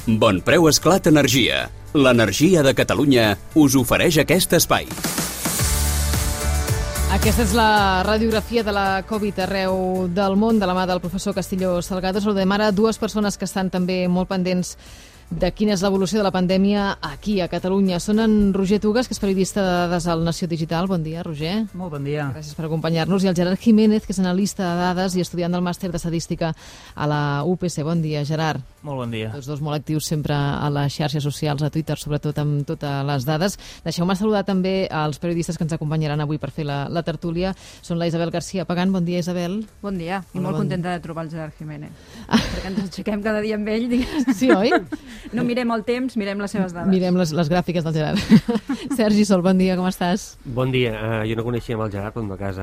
Bon Preu Esclat Energia. L'energia de Catalunya us ofereix aquest espai. Aquesta és la radiografia de la Covid arreu del món, de la mà del professor Castillo Salgado. Saludem ara dues persones que estan també molt pendents de quina és l'evolució de la pandèmia aquí, a Catalunya. Són en Roger Tugas, que és periodista de dades al Nació Digital. Bon dia, Roger. Molt bon dia. Gràcies per acompanyar-nos. I el Gerard Jiménez, que és analista de dades i estudiant del màster d'estadística a la UPC. Bon dia, Gerard. Molt bon dia. Tots dos molt actius sempre a les xarxes socials, a Twitter, sobretot amb totes les dades. Deixeu-me saludar també als periodistes que ens acompanyaran avui per fer la tertúlia. Són la Isabel García Pagán. Bon dia, Isabel. Bon dia, i molt contenta de trobar el Gerard Jiménez. Ah. Perquè ens aixequem cada dia amb ell. Digues. Sí, oi? No mirem el temps, mirem les seves dades. Mirem les gràfiques del Gerard. Sergi Sol, bon dia, com estàs? Bon dia. Jo no coneixia amb el Gerard, però en tot cas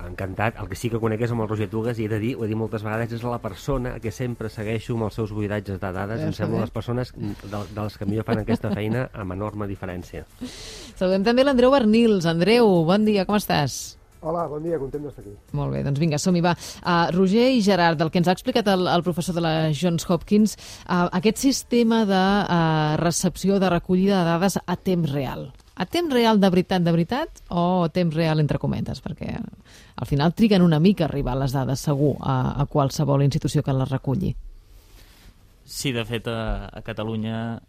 encantat. El que sí que conec és amb el Roger Tugas, i he de dir, ho he dit moltes vegades, és la persona que sempre segueixo amb els seus buidatges de dades. Em sembla les persones de les que millor fan aquesta feina amb enorme diferència. Saludem també l'Andreu Bernils. Andreu, bon dia, com estàs? Hola, bon dia, content d'estar aquí. Molt bé, doncs vinga, som-hi, va. Roger i Gerard, del que ens ha explicat el professor de la Johns Hopkins, aquest sistema de recepció, de recollida de dades a temps real. A temps real de veritat, o temps real entre cometes? Perquè al final triguen una mica a arribar les dades, segur, a qualsevol institució que les reculli. Sí, de fet, a Catalunya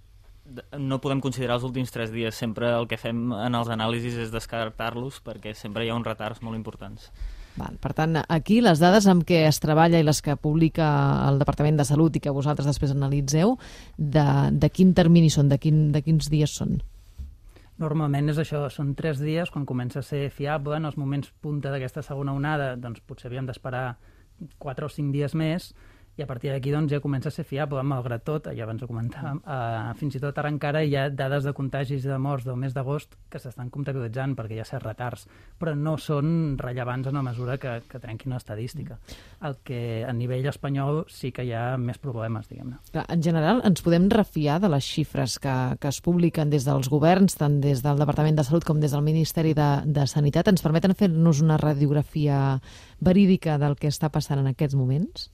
no podem considerar els últims 3 dies. Sempre el que fem en els anàlisis és descartar-los perquè sempre hi ha uns retards molt importants. Val, per tant, aquí les dades amb què es treballa i les que publica el Departament de Salut i que vosaltres després analitzeu, de quin termini són, de quins dies són? Normalment és això, són 3 dies, quan comença a ser fiable. En els moments punta d'aquesta segona onada, doncs potser havíem d'esperar 4 o 5 dies més, i a partir d'aquí doncs, ja comença a ser fiable. Malgrat tot, ja abans ho comentàvem, fins i tot ara encara hi ha dades de contagis i de morts del mes d'agost que s'estan comptabilitzant perquè hi ha certs retards, però no són rellevants en la mesura que trenquin l'estadística. El que a nivell espanyol sí que hi ha més problemes, diguem-ne. En general, ens podem refiar de les xifres que es publiquen des dels governs, tant des del Departament de Salut com des del Ministeri de Sanitat? Ens permeten fer-nos una radiografia verídica del que està passant en aquests moments?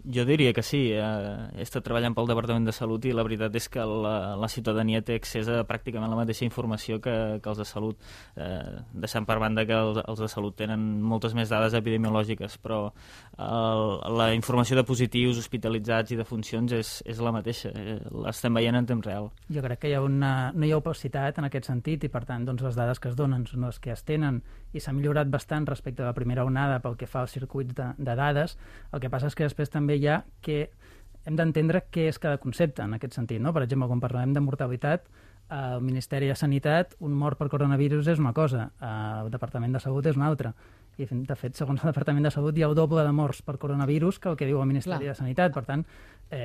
Jo diria que sí. He estat treballant pel Departament de Salut i la veritat és que la ciutadania té accés a pràcticament la mateixa informació que els de Salut, deixant per banda que els de Salut tenen moltes més dades epidemiològiques, però la informació de positius, hospitalitzats i de funcions és la mateixa. L'estem veient en temps real. Jo crec que no hi ha opacitat en aquest sentit, i per tant doncs, les dades que es donen són les que es tenen, i s'ha millorat bastant respecte a la primera onada pel que fa als circuits de dades. El que passa és que després també hi ha que hem d'entendre què és cada concepte en aquest sentit, no? Per exemple, quan parlem de mortalitat, al Ministeri de Sanitat un mort per coronavirus és una cosa, al Departament de Salut és una altra. I, de fet, segons el Departament de Salut, hi ha el doble de morts per coronavirus que el que diu el Ministeri de Sanitat. Per tant,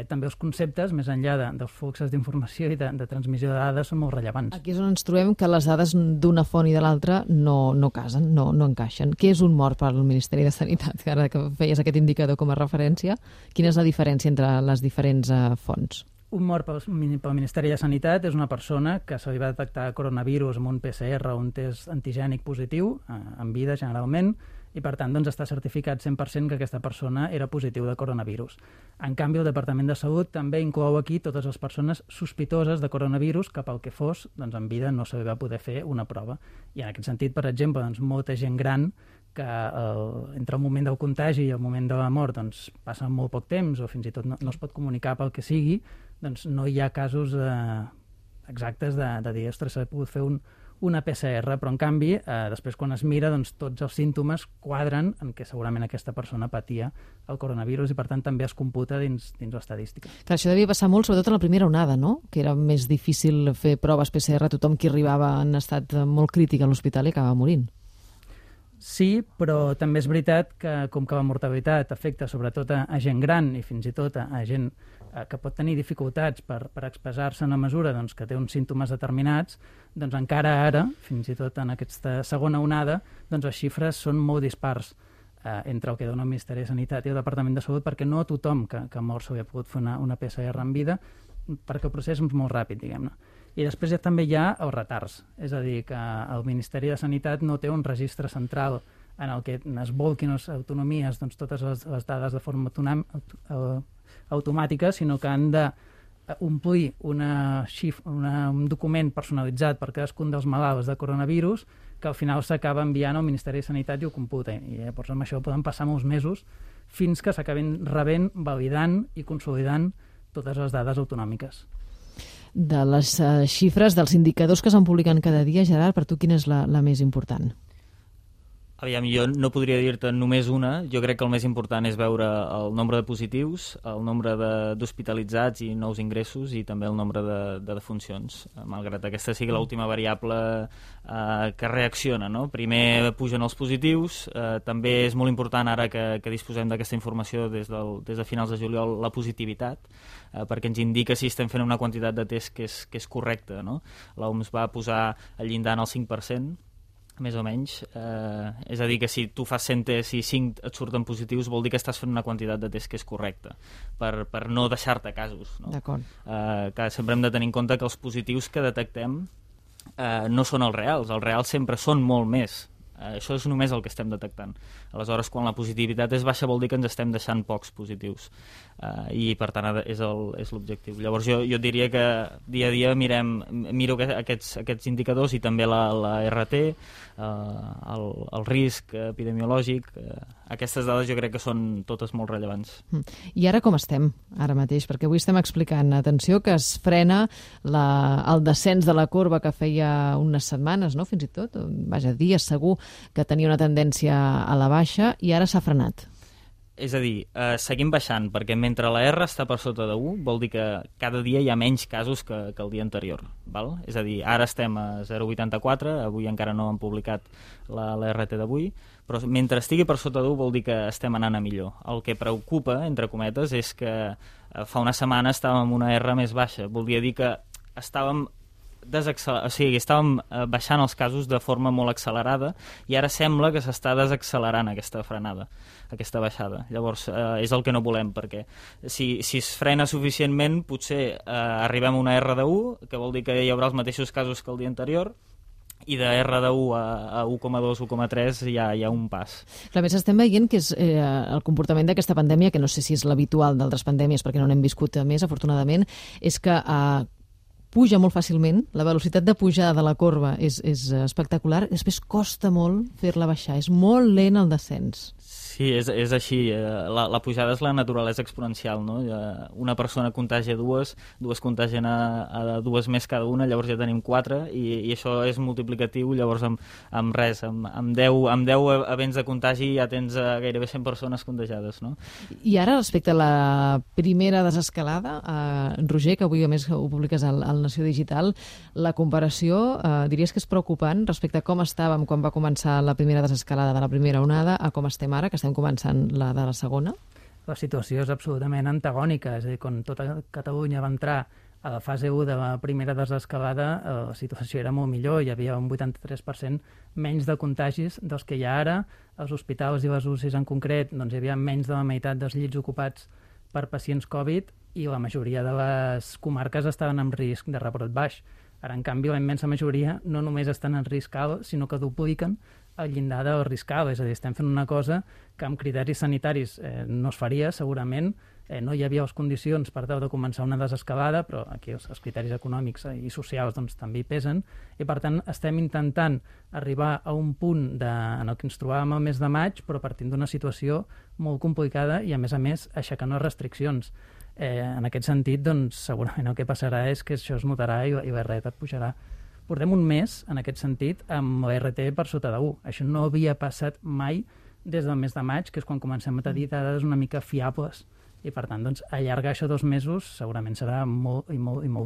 també els conceptes, més enllà dels fluxos d'informació i de transmissió de dades, són molt rellevants. Aquí és on ens trobem que les dades d'una font i de l'altra no casen, no encaixen. Què és un mort per al Ministeri de Sanitat? Ara que feies aquest indicador com a referència, quina és la diferència entre les diferents fonts? Un mort pel Ministeri de Sanitat és una persona que se li va detectar coronavirus amb un PCR o un test antigènic positiu, en vida generalment, i per tant doncs, està certificat 100% que aquesta persona era positiu de coronavirus. En canvi, el Departament de Salut també inclou aquí totes les persones sospitoses de coronavirus que pel que fos, doncs, en vida no se li va poder fer una prova. I en aquest sentit, per exemple, doncs, molta gent gran que entre el moment del contagi i el moment de la mort doncs, passa molt poc temps o fins i tot no es pot comunicar pel que sigui, doncs no hi ha casos exactes de dir, ostres, s'ha pogut fer una PCR, però en canvi, després quan es mira, doncs, tots els símptomes quadren en què segurament aquesta persona patia el coronavirus i per tant també es computa dins l'estadística. Clar, això devia passar molt, sobretot en la primera onada, no? Que era més difícil fer proves PCR a tothom qui arribava en estat molt crític a l'hospital i acabava morint. Sí, però també és veritat que com que la mortalitat afecta sobretot a gent gran i fins i tot a gent que pot tenir dificultats per expressar-se en la mesura doncs, que té uns símptomes determinats, doncs encara ara, fins i tot en aquesta segona onada, doncs les xifres són molt dispars entre el que dona el Ministeri de Sanitat i el Departament de Salut, perquè no a tothom que mor s'hauria pogut fer una PCR en vida, perquè el procés és molt ràpid, diguem-ne. I després també hi ha els retards, és a dir, que el Ministeri de Sanitat no té un registre central en el que es volquin les autonomies doncs, totes les dades de forma automàtica, sinó que han de omplir un document personalitzat per cadascun dels malalts de coronavirus que al final s'acaba enviant al Ministeri de Sanitat i ho computa. I llavors amb això poden passar molts mesos fins que s'acabin rebent, validant i consolidant totes les dades autonòmiques. De les xifres, dels indicadors que se'n publiquen cada dia, Gerard, per tu quina és la més important? Aviam, jo no podria dir-te només una. Jo crec que el més important és veure el nombre de positius, el nombre d'hospitalitzats i nous ingressos i també el nombre de defuncions, malgrat aquesta sigui l'última variable que reacciona, no? Primer pugen els positius, també és molt important ara que disposem d'aquesta informació des de finals de juliol la positivitat, perquè ens indica si estem fent una quantitat de test que és correcta, no? L'OMS va posar el llindar en el 5%, més o menys, és a dir que si tu fas 100 tests i 5 et surten positius vol dir que estàs fent una quantitat de tests que és correcta per no deixar-te casos, no? D'acord. Que sempre hem de tenir en compte que els positius que detectem no són els reals sempre són molt més. Això és només el que estem detectant. Aleshores, quan la positivitat és baixa vol dir que ens estem deixant pocs positius i per tant és l'objectiu. Llavors jo diria que dia a dia miro aquests indicadors i també la RT, el risc epidemiològic, aquestes dades jo crec que són totes molt rellevants. I ara com estem, ara mateix? Perquè avui estem explicant, atenció, que es frena el descens de la corba que feia unes setmanes, no? Fins i tot, vaja, dies segur, que tenia una tendència a la baixa i ara s'ha frenat. És a dir, seguim baixant, perquè mentre la R està per sota de 1, vol dir que cada dia hi ha menys casos que el dia anterior. Val? És a dir, ara estem a 0,84, avui encara no han publicat la RT d'avui, però mentre estigui per sota d'1 vol dir que estem anant a millor. El que preocupa, entre cometes, és que fa una setmana estàvem amb una R més baixa. Voldria dir que estàvem baixant els casos de forma molt accelerada i ara sembla que s'està desaccelerant aquesta frenada, aquesta baixada. Llavors és el que no volem, perquè si es frena suficientment potser arribem a una R de 1, que vol dir que hi haurà els mateixos casos que el dia anterior, i de R de 1 a 1,2, 1,3 hi ha un pas. A més, estem veient que és el comportament d'aquesta pandèmia, que no sé si és l'habitual d'altres pandèmies perquè no n'hem viscut més, afortunadament, és que puja molt fàcilment, la velocitat de pujada de la corba és espectacular, després costa molt fer-la baixar, és molt lent el descens. Sí, és així. La pujada és la naturalesa exponencial, no? Una persona contagia dues contagien a dues més cada una, llavors ja tenim 4, i això és multiplicatiu, llavors amb res, amb 10 events de contagi ja tens gairebé 100 persones contagiades, no? I ara, respecte a la primera desescalada, Roger, que avui a més ho publiques al Nació Digital, la comparació diries que és preocupant respecte a com estàvem quan va començar la primera desescalada de la primera onada a com estem ara, que estem començant la de la segona? La situació és absolutament antagònica, és a dir, quan tota Catalunya va entrar a la fase 1 de la primera desescalada, la situació era molt millor, hi havia un 83% menys de contagis dels que hi ha ara. Als hospitals i les UCIs en concret doncs hi havia menys de la meitat dels llits ocupats per pacients Covid i la majoria de les comarques estaven en risc de rebrot baix. Ara, en canvi, la immensa majoria no només estan en risc alt, sinó que dupliquen el llindar del risc alt. És a dir, estem fent una cosa que amb criteris sanitaris no es faria, segurament. No hi havia les condicions per tal de començar una desescalada, però aquí els criteris econòmics i socials doncs, també hi pesen, i per tant estem intentant arribar a un punt en el que ens trobàvem el mes de maig, però partint d'una situació molt complicada i, a més, aixecant les restriccions. En aquest sentit, doncs, segurament el que passarà és que això es notarà i la RT pujarà. Portem un mes, en aquest sentit, amb la RT per sota de 1. Això no havia passat mai des del mes de maig, que és quan comencem a tenir dades una mica fiables. I, per tant, doncs, allargar això 2 mesos segurament serà molt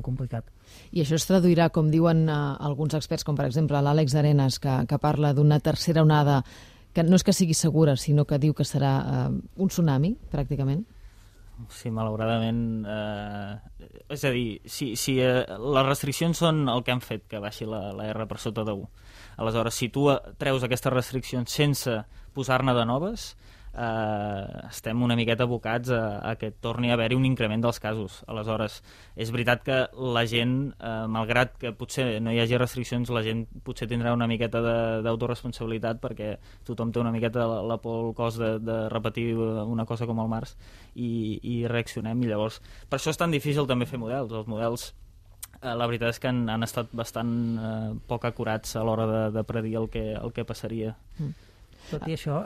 complicat. I això es traduirà, com diuen alguns experts, com per exemple l'Àlex Arenas, que parla d'una tercera onada que no és que sigui segura, sinó que diu que serà un tsunami, pràcticament? Sí, malauradament. És a dir, si les restriccions són el que han fet que baixi la R per sota de 1. Aleshores, si tu treus aquestes restriccions sense posar-ne de noves, estem una miqueta abocats a que torni a haver-hi un increment dels casos. Aleshores, és veritat que la gent, malgrat que potser no hi hagi restriccions, la gent potser tindrà una miqueta d'autoresponsabilitat perquè tothom té una miqueta la por al cos de repetir una cosa com el març i reaccionem, i llavors per això és tan difícil també fer models. Els models la veritat és que han estat bastant poc acurats a l'hora de predir el que passaria. Tot i això,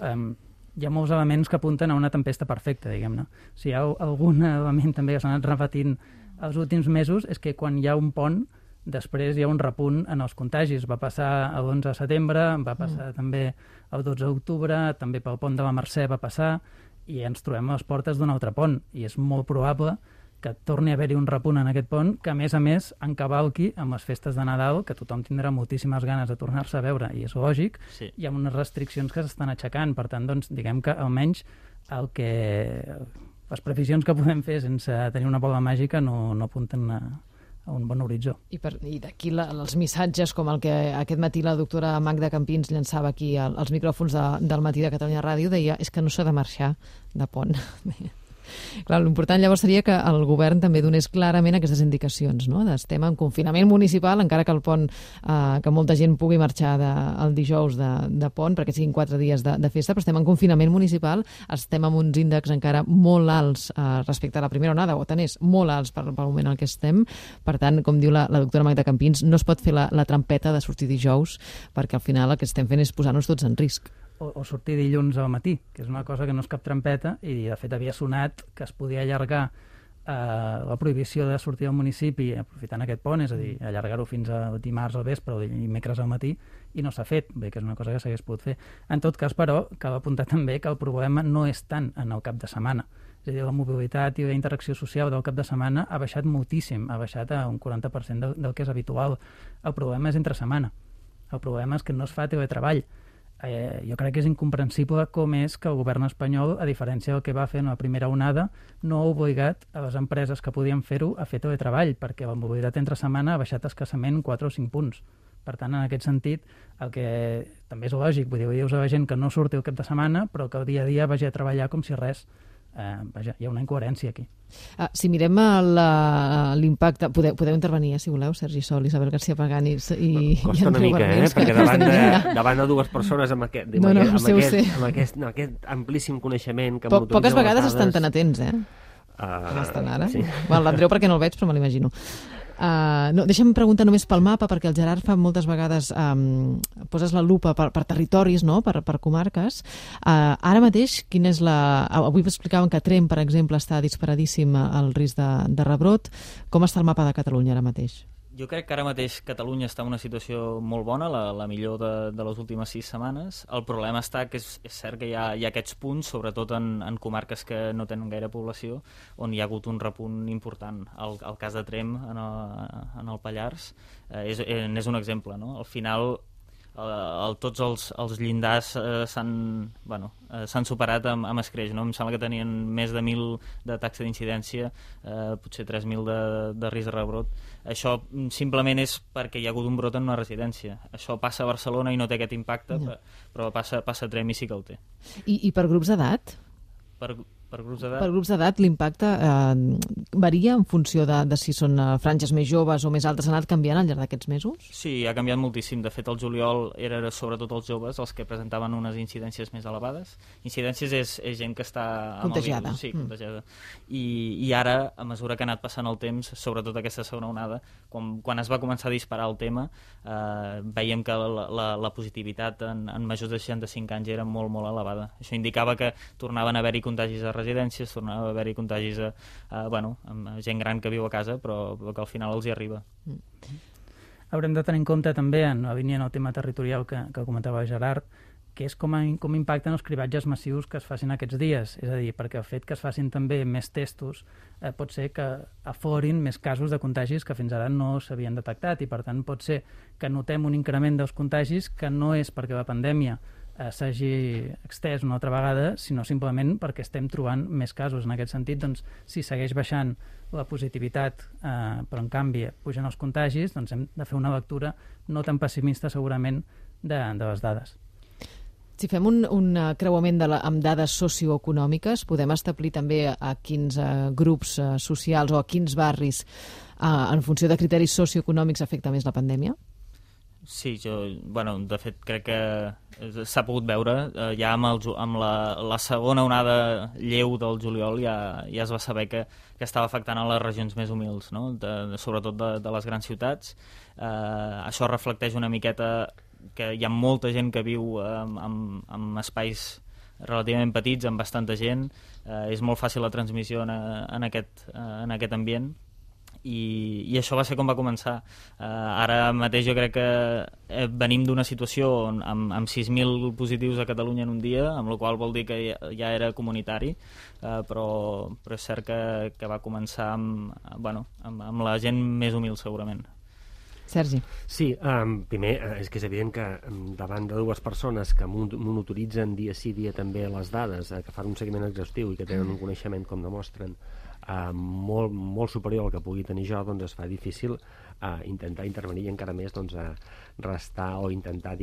hi ha molts elements que apunten a una tempesta perfecta, diguem-ne. Si hi ha algun element també que s'ha anat repetint els últims mesos és que quan hi ha un pont, després hi ha un repunt en els contagis. Va passar l'11 de setembre, va passar també el 12 d'octubre, també pel pont de la Mercè va passar, i ens trobem a les portes d'un altre pont, i és molt probable que torni a haver-hi un repunt en aquest pont, que a més encavalqui amb les festes de Nadal, que tothom tindrà moltíssimes ganes de tornar-se a veure, i és lògic, sí. Hi ha unes restriccions que s'estan aixecant, per tant, doncs, diguem que almenys les previsions que podem fer sense tenir una bola màgica no apunten a un bon horitzó. I d'aquí els missatges com el que aquest matí la doctora Magda Campins llançava aquí als micròfons del Matí de Catalunya Ràdio, deia, és que no s'ha de marxar de pont. Clar, l'important llavors seria que el govern també donés clarament aquestes indicacions, no? Estem en confinament municipal, encara que el pont, que molta gent pugui marxar el dijous de pont, perquè siguin 4 dies de festa, però estem en confinament municipal, estem amb uns índexs encara molt alts respecte a la primera onada, o tant és molt alts pel moment en què estem. Per tant, com diu la doctora Magda Campins, no es pot fer la trampeta de sortir dijous, perquè al final el que estem fent és posar-nos tots en risc. O sortir dilluns al matí, que és una cosa que no és cap trampeta, i de fet havia sonat que es podia allargar la prohibició de sortir al municipi aprofitant aquest pont, és a dir, allargar-ho fins a dimarts al vespre o dimecres al matí, i no s'ha fet, bé, que és una cosa que s'hagués pogut fer. En tot cas, però, cal apuntar també que el problema no és tant en el cap de setmana. És a dir, la mobilitat i la interacció social del cap de setmana ha baixat moltíssim, ha baixat a un 40% del que és habitual. El problema és entre setmana. El problema és que no es fa teletreball. Jo crec que és incomprensible com és que el govern espanyol, a diferència del que va fer en la primera onada, no ha obligat a les empreses que podien fer-ho a fer teletreball, perquè la mobilitat entre setmana ha baixat escassament 4 o 5 punts. Per tant, en aquest sentit, el que també és lògic, vull dir, dius a la gent que no surti el cap de setmana, però que el dia a dia vagi a treballar com si res. Vaja, hi ha una incoherència aquí. Si mirem l'impacte, podeu intervenir, si voleu, Sergi Sol, Isabel García Pagani i costa una mica, perquè davant de dues persones amb aquest amplíssim coneixement que poques vegades estan tan atents, estan ara? Sí. L'Andreu perquè no el veig, però me l'imagino. Deixa'm preguntar només pel mapa, perquè el Gerard fa moltes vegades poses la lupa per territoris, no? per comarques. Ara mateix, quina és avui explicaven que Tremp, per exemple, està disparadíssim al risc de rebrot. Com està el mapa de Catalunya ara mateix? Jo crec que ara mateix Catalunya està en una situació molt bona, la millor de les últimes 6 setmanes. El problema està que és cert que hi ha aquests punts, sobretot en comarques que no tenen gaire població, on hi ha hagut un repunt important. El cas de Tremp, en el Pallars, és un exemple, no? Al final, tots els llindars s'han superat amb escreix, no? Em sembla que tenien més de 1.000 de taxa d'incidència, potser 3.000 de risc de rebrot. Això simplement és perquè hi ha hagut un brot en una residència. Això passa a Barcelona i no té aquest impacte, però passa a Tremp i sí que el té. I per grups d'edat? Per grups d'edat? Per grups d'edat l'impacte varia en funció de si són franges més joves o més altes. Ha anat canviant al llarg d'aquests mesos? Sí, ha canviat moltíssim. De fet, el juliol era sobretot els joves els que presentaven unes incidències més elevades. Incidències és gent que està contagiada. Sí, contagiada. I ara, a mesura que ha anat passant el temps, sobretot aquesta segona onada, quan es va començar a disparar el tema, veiem que la positivitat en majors de 65 anys era molt, molt elevada. Això indicava que tornaven a haver-hi contagis a residències, tornava a haver-hi contagis amb gent gran que viu a casa, però que al final els hi arriba. Haurem de tenir en compte també, en la línia en el tema territorial que comentava Gerard, que és com impacten els cribatges massius que es facin aquests dies. És a dir, perquè el fet que es facin també més testos pot ser que aflorin més casos de contagis que fins ara no s'havien detectat, i per tant pot ser que notem un increment dels contagis que no és perquè la pandèmia s'hagi extès una altra vegada, sinó simplement perquè estem trobant més casos. En aquest sentit, doncs, si segueix baixant la positivitat, però en canvi pugen els contagis, doncs hem de fer una lectura no tan pessimista segurament de les dades. Si fem un creuament amb dades socioeconòmiques, podem establir també a quins grups socials o a quins barris, en funció de criteris socioeconòmics, afecta més la pandèmia? Sí, de fet crec que s'ha pogut veure ja amb la segona onada lleu del juliol ja es va saber que estava afectant a les regions més humils, no? Sobretot de les grans ciutats. Això reflecteix una miqueta que hi ha molta gent que viu en espais relativament petits, amb bastanta gent. És molt fàcil la transmissió en aquest ambient. I això va ser com va començar. Ara mateix jo crec que venim d'una situació amb 6.000 positius a Catalunya en un dia, amb la qual vol dir que ja era comunitari, però és cert que va començar amb la gent més humil, segurament. Sergi. Sí, primer és que és evident que davant de dues persones que monitoritzen dia sí dia també les dades, que fan un seguiment exhaustiu i que tenen un coneixement, com demostren, molt superior al que pugui tenir jo, doncs es fa difícil intentar intervenir i encara més restar o intentar,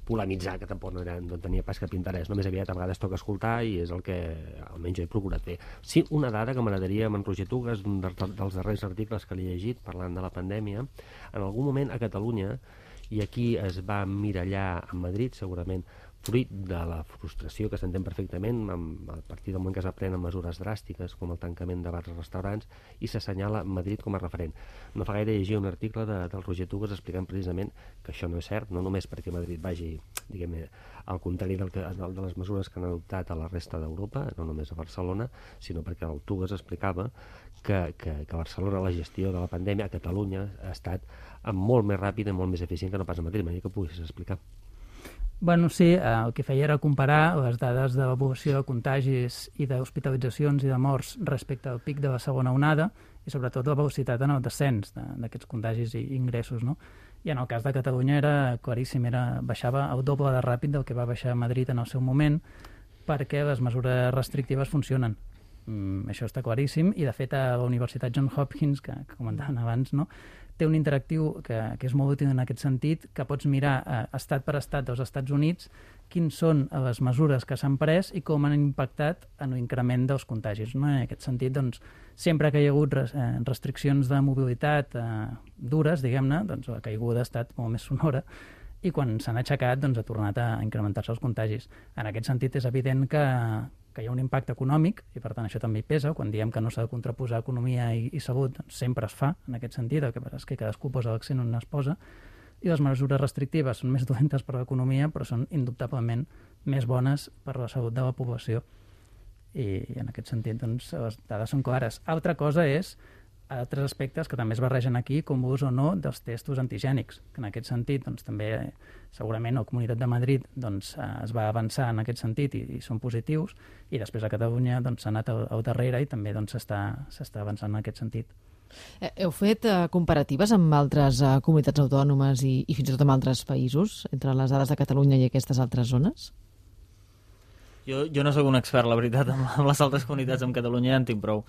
polemitzar, que tampoc no tenia pas cap interès. Només aviat a vegades toca escoltar i és el que almenys jo he procurat fer. Sí, una dada que m'agradaria amb en Roger Tugas, un dels darrers articles que li he llegit parlant de la pandèmia, en algun moment a Catalunya, i aquí es va emmirallar a Madrid, segurament fruit de la frustració que s'entén perfectament a partir del moment que es prenen mesures dràstiques com el tancament de bars i restaurants, i s'assenyala Madrid com a referent. No fa gaire llegir un article del Roger Tugas explicant precisament que això no és cert, no només perquè Madrid vagi, al contrari de les mesures que han adoptat a la resta d'Europa, no només a Barcelona, sinó perquè el Tugas explicava que a Barcelona la gestió de la pandèmia a Catalunya ha estat molt més ràpida i molt més eficient que no pas a Madrid. M'agradaria que poguessis explicar. Bueno, sí, el que feia era comparar les dades de l'evolució de contagis i d'hospitalitzacions i de morts respecte al pic de la segona onada i sobretot la velocitat en el descens d'aquests contagis i ingressos, no? I en el cas de Catalunya era claríssim, baixava el doble de ràpid del que va baixar a Madrid en el seu moment, perquè les mesures restrictives funcionen. Això està claríssim, i de fet a la Universitat Johns Hopkins, que comentaven abans, no, té un interactiu que és molt útil en aquest sentit, que pots mirar estat per estat dels Estats Units quins són les mesures que s'han pres i com han impactat en l'increment dels contagis. No? En aquest sentit, doncs, sempre que hi ha hagut restriccions de mobilitat dures, diguem-ne, doncs la caiguda ha estat molt més sonora, i quan s'han aixecat doncs, ha tornat a incrementar-se els contagis. En aquest sentit, és evident que hi ha un impacte econòmic, i per tant això també hi pesa. Quan diem que no s'ha de contraposar economia i salut, doncs sempre es fa en aquest sentit, el que passa és que cadascú posa l'accent on es posa, i les mesures restrictives són més dolentes per a l'economia, però són indubtablement més bones per a la salut de la població. I en aquest sentit, doncs, les dades són clares. Altra cosa és altres aspectes que també es barregen aquí, com l'ús o no dels testos antigènics, que en aquest sentit doncs, també segurament a la Comunitat de Madrid doncs, es va avançar en aquest sentit i són positius, i després a Catalunya doncs, s'ha anat al darrere i també doncs, s'està avançant en aquest sentit. Heu fet comparatives amb altres comunitats autònomes i fins i tot amb altres països, entre les dades de Catalunya i aquestes altres zones? Jo no sóc un expert, la veritat, amb les altres comunitats. Amb Catalunya ja en tinc prou.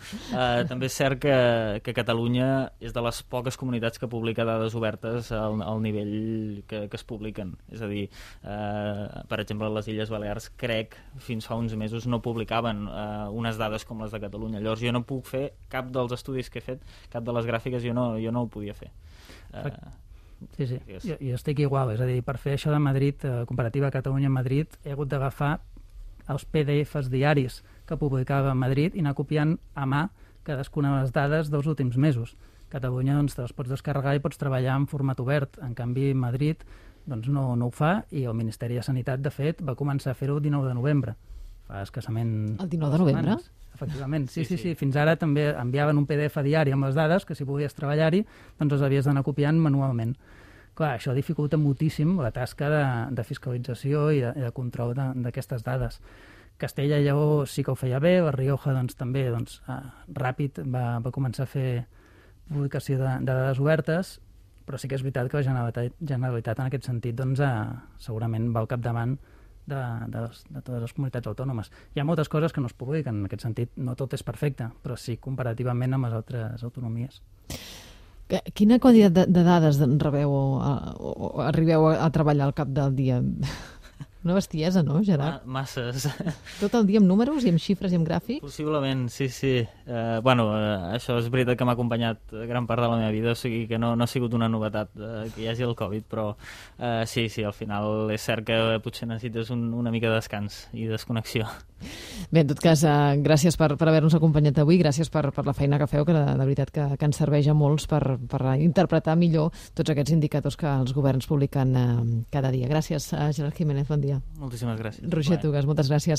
També és cert que Catalunya és de les poques comunitats que publica dades obertes al nivell que es publiquen. És a dir, per exemple, les Illes Balears, crec, fins fa uns mesos no publicaven unes dades com les de Catalunya. Llavors jo no puc fer cap dels estudis que he fet, cap de les gràfiques, jo no ho podia fer. Sí. Jo estic igual. És a dir, per fer això de Madrid, comparativa Catalunya-Madrid, he hagut d'agafar els PDFs diaris que publicava a Madrid i anar copiant a mà cadascuna de les dades dels últims mesos. Catalunya doncs, te les pots descarregar i pots treballar en format obert. En canvi, Madrid doncs, no ho fa, i el Ministeri de Sanitat, de fet, va començar a fer-ho el 19 de novembre. Fa escassament... El 19 de novembre? Efectivament, sí. Fins ara també enviaven un PDF diari amb les dades que si volies treballar-hi doncs les havies d'anar copiant manualment. Clar, això dificulta moltíssim la tasca de fiscalització i de control d'aquestes dades. Castella i Lleó sí que ho feia bé, la Rioja doncs, també ràpid va començar a fer publicació de dades obertes, però sí que és veritat que la Generalitat en aquest sentit doncs, segurament va al capdavant de totes les comunitats autònomes. Hi ha moltes coses que no es publiquen, en aquest sentit no tot és perfecte, però sí comparativament amb les altres autonomies. Quina quantitat de dades rebeu o arribeu a treballar al cap del dia? Una bestiesa, no, Gerard? Masses. Tot el dia amb números i amb xifres i amb gràfics? Possiblement, sí. Això és veritat que m'ha acompanyat gran part de la meva vida, o sigui que no ha sigut una novetat que hi hagi el Covid, però sí, al final és cert que potser necessites una mica de descans i desconnexió. Bé, en tot cas, gràcies per haver-nos acompanyat avui, gràcies per la feina que feu, que de veritat que ens serveix a molts per interpretar millor tots aquests indicadors que els governs publiquen cada dia. Gràcies, Gerard Jiménez, bon dia. Moltíssimes gràcies. Roger Tugas, moltes gràcies.